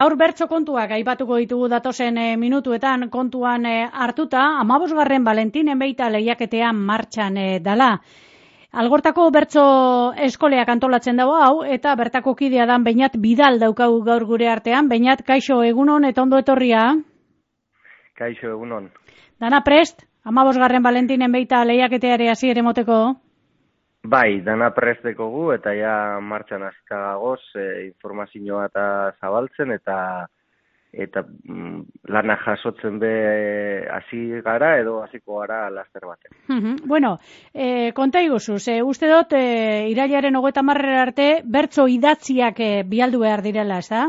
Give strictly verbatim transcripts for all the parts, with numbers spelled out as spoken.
Gaur bertso kontuak aipatuko ditugu datozen e, minutuetan kontuan e, hartuta, hamabosgarren Valentinen beita lehiaketean martxan e, dala. Algortako bertso eskoleak antolatzen dago hau, eta bertako kidea dan Beñat Bidal daukagu gaur gure artean. Beñat, kaixo, egunon eta ondo etorria. Kaixo, egunon. Dana prest, hamabosgarren Valentinen beita lehiaketeare hasiera emoteko? Bai, dana presteko gu, eta ja martxan hasita gagoz, e, informazioa eta zabaltzen, eta eta mm, lana jasotzen be hasi gara, edo hasiko gara laster baten. Uh-huh. Bueno, e, konta iguzuz, e, uste dut, e, irailaren hogeita hamarrera arte, bertso idatziak e, bialdu behar direla, ez da?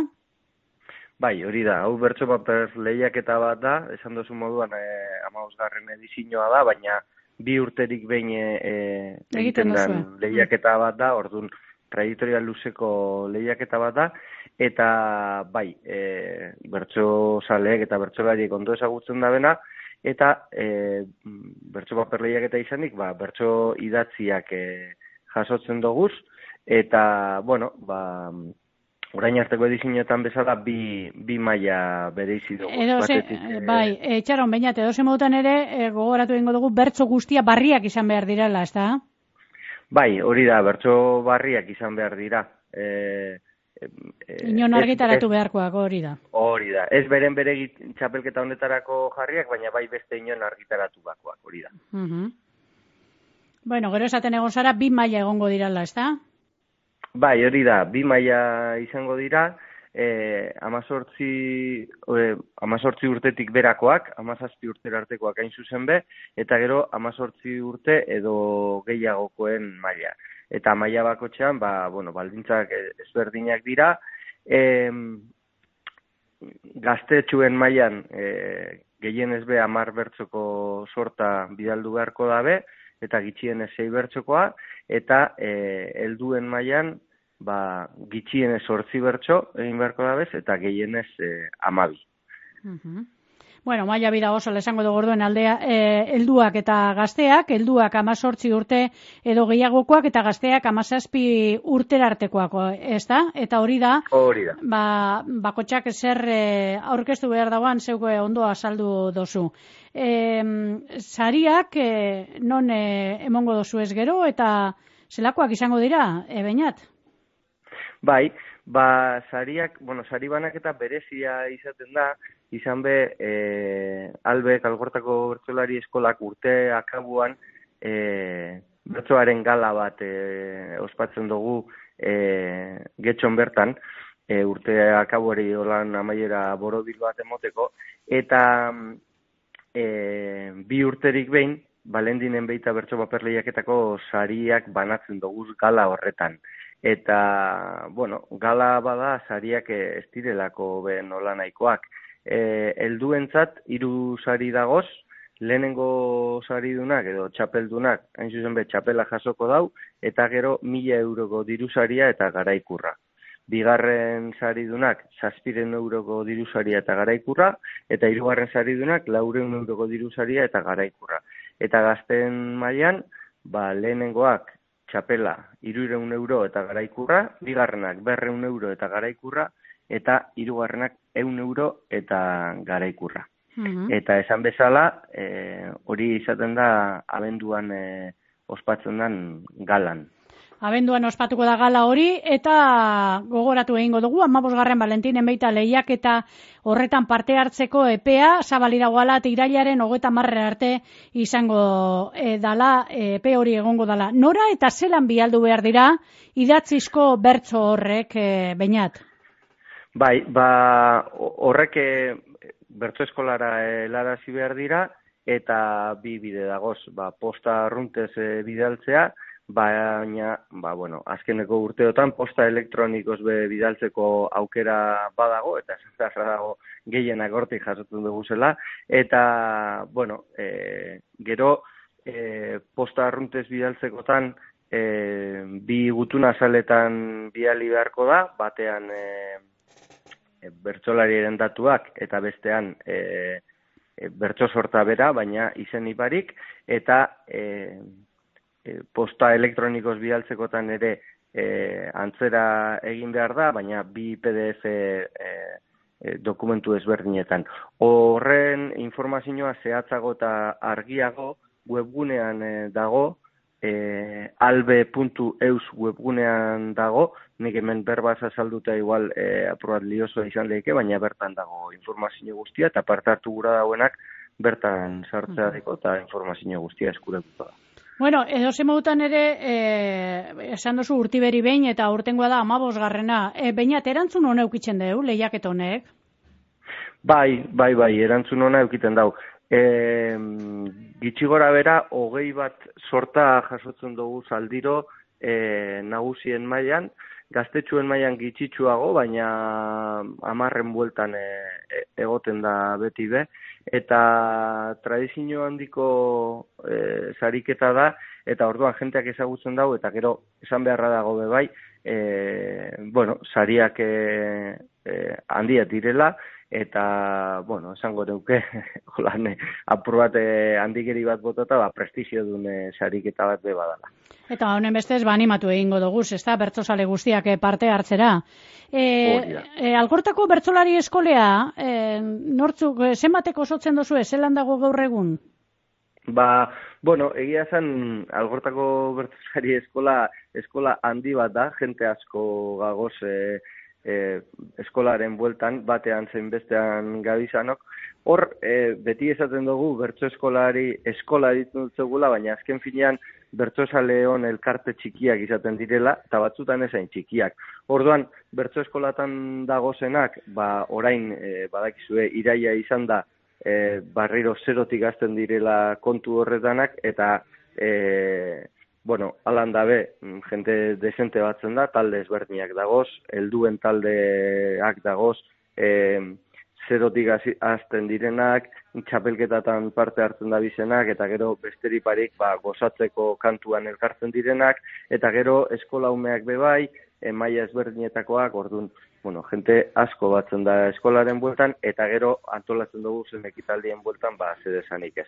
Bai, hori da, hau bertso paper lehiaketa bat da, esan duzu moduan e, hamabosgarren edizioa da, baina bi urterik behin e, egiten den lehiaketa bat da, orduan trajektoria luzeko lehiaketa bat da, eta bai, e, bertso zaleek eta bertsolariek ondo ezagutzen da bena, eta e, bertso paper lehiaketa izanik, ba, bertso idatziak e, jasotzen doguz, eta, bueno, ba, orain arteko edizioetan bezala bi, bi maila bereizi dugu. Edo ze, bai, etxaron, Beñat, edo ze modutan ere, e, gogoratu egingo dugu, bertso guztia barriak izan behar direla, ez da? Bai, hori da, bertso barriak izan behar dira. E, e, Inon argitaratu ez, beharkoak, hori da. Hori da, ez beren bere txapelketa honetarako jarriak, baina bai beste inon argitaratu bakoak, hori da. Uh-huh. Bueno, gero esaten egon zara, bi maila egongo dirala, ez da? Bai, hori da, bi maila izango dira, eh, amazortzi, eh, amazortzi urtetik berakoak, amazazpi urtera artekoak hain zuzen be, eta gero amazortzi urte edo gehiagokoen maila. Eta maila bakotxean, ba, bueno, baldintzak ezberdinak dira, eh, gaztetxuen mailan eh, gehienez be hamar bertzoko sorta bidaldu beharko dabe, eta gitxienez sei bertsokoa, eta e, helduen mailan ba, gitxienez zortzi bertso egin beharko dabez, eta gehienez e, amabi. Uh-huh. Bueno, maila bida oso lesango dugu orduen aldea, e, helduak eta gazteak, helduak amazortzi urte edo gehiagokoak, eta gazteak amazazpi urtera artekoak, ez da? Eta hori da, hori da. Ba, bakotxak zer e, aurkeztu behar dagoan zeuko ondo azaldu dozu. E, sariak e, non e, emongo dozu ez gero, eta zelakoak izango dira, e, Beñat? Bai, ba, sariak, bueno, sari banaketa berezia izaten da, izan be, e, albek, algortako bertsolari eskolak urte akabuan, e, bertsoaren gala bat e, ospatzen dugu e, getxon bertan, e, urte akabuari holan amaiera borobil bat emoteko, eta e, bi urterik behin, Valentinen beita bertso paper lehiaketako sariak banatzen dugu gala horretan. Eta, bueno, gala bada sariak ez direlako be nola nahikoak. E, helduentzat hiru sari dagoz, lehenengo saridunak edo txapeldunak, hain zuzen be txapela jasoko dau, eta gero mila euroko diru saria eta garaikurra. Bigarren saridunak zazpiren euroko diru saria eta garaikurra, eta hirugarren saridunak laureun euroko diru saria eta garaikurra. Eta gazten mailan, ba, lehenengoak txapela hirureun euro eta garaikurra, bigarrenak berreun euro eta garaikurra, eta hirugarrenak ehun euro eta garaikurra. Uh-huh. Eta esan bezala, e, hori izaten da abenduan e, ospatzen den galan. Abenduan ospatuko da gala hori, eta gogoratu egingo dugu, hamabosgarren Valentinen beita lehiaketa horretan parte hartzeko epea, zabalira goala, eta irailaren hogeita hamarrera arte izango e, dala, e, epe hori egongo dala. Nora eta zelan bialdu behar dira, idatzizko bertso horrek, e, Beñat? Bai, ba, horrek e, bertso eskolara helarazi behar dira, eta bi bide dagoz, ba, posta arruntez e, bidaltzea, baina, ba, bueno, azkeneko urteotan posta elektronikoz be bidaltzeko aukera badago, eta esan dago gehienak hortik jasotzen dugu zela, eta, bueno, e, gero e, posta arruntez bidaltzekotan e, bi gutuna azaletan bidali beharko da, batean e, e, bertsolariaren datuak, eta bestean e, e, bertso sorta bera, baina izen iparik, eta e, posta elektronikoz bidaltzekotan ere e, antzera egin behar da, baina bi P D F e, e, dokumentu ezberdinetan. Horren informazioa zehatzago eta argiago webgunean e, dago, e, albe puntu eus webgunean dago, nik hemen berbaz azalduta igual e, aprobat liosoa izan lehike, baina bertan dago informazio guztia, eta parte hartu gura dauenak bertan sartzea deko, eta informazio guztia eskuratuta da. Bueno, edo zemodutan ere, e, esan duzu urtiberi behin, eta urtengoa da amabosgarrena. E, Beinat, erantzun hona eukitzen deu, lehiaket honek? Bai, bai, bai, erantzun hona eukiten dau. E, gitxi gora bera, hogei bat sorta jasotzen dugu zaldiro e, nagusien mailan, gaztetxuen mailan gitxitsuago, baina hamarren bueltan e, e, egoten da beti be, eta tradizio handiko e, sariketa da, eta orduan jenteak ezagutzen dago, eta gero esan beharra dago be bai, e, bueno, sariak e, e, handiak direla, eta, bueno, esango neuke, holan, apur bat eh, handigeri bat botata, ba, prestizio dune sariketa bat be badala. Eta honen bestez, ba, animatu egingo dugu, ez da, bertsozale guztiak parte hartzera. E, e, Algortako bertsolari eskolea, e, nortzuk, zenbateko osotzen dozu, zelan dago gaur egun? Ba, bueno, egia zen, Algortako bertsolari eskola, eskola handi bat da, jente asko gagoz, e, E, eskolaren bueltan, batean zein bestean gabizanok. Hor, e, beti esaten dugu, bertso eskolari eskola ditut zegula, baina azken finean bertsozale hon elkarte txikiak izaten direla, eta batzutan ezain txikiak. Orduan, bertso eskolatan dagozenak, ba, orain, e, badakizue, iraia izan da, e, barriro zerotik azten direla kontu horretanak, eta e, bueno, alan dabe, jente desente batzen da, talde ezberdinak dagoz, helduen taldeak dagoz, e, zerotik azten direnak, txapelketatan parte hartzen da bizenak, eta gero besteriparik ba, gozatzeko kantuan elkartzen direnak, eta gero eskola umeak bebai, e, maila ezberdinetakoak, orduan, bueno, jente asko batzen da eskolaren bueltan, eta gero antolatzen dugu zen ekitaldien bueltan, ba, zedesanik ez.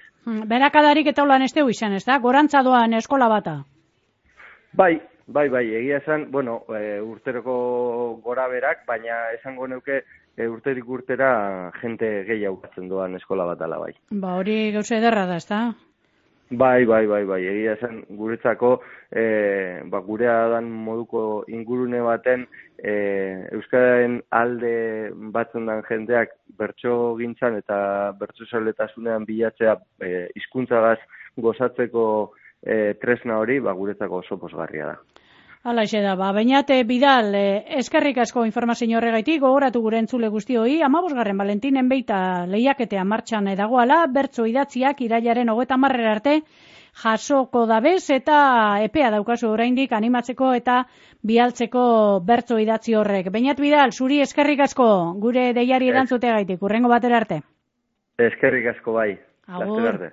Berakadarik eta holan ez dugu izan, ez da? Gorantza doan eskola bata? Bai, bai, bai, egia esan, bueno, e, urteroko gora berak, baina esango neuke e, urterik urtera jente gehiago batzen doan eskola bat ala bai. Ba, hori gauza ederra da, ez da? Bai, bai, bai, bai, egia esan guretzako, e, ba, gurea dan moduko ingurune baten, e, euskararen alde batzen dan jendeak bertso gintzan eta bertso zaletasunean bilatzea e, hizkuntzagaz gozatzeko e, tresna hori, ba, guretzako oso posgarria da. Hala ise da, ba, Beinat Bidal, eh, eskerrik asko informazio horregaitik, gogoratu gure entzule guztioi, amabosgarren Valentinen beita lehiaketea martxan dagoala, bertso idatziak irailaren hogeita hamarrera arte jasoko dabez, eta epea daukazu oraindik animatzeko eta bialtzeko bertso idatzi horrek. Beinat Bidal, zuri eskerrik asko gure deiari erantzuteagaitik, hurrengo batera arte. Eskerrik asko bai. Agur.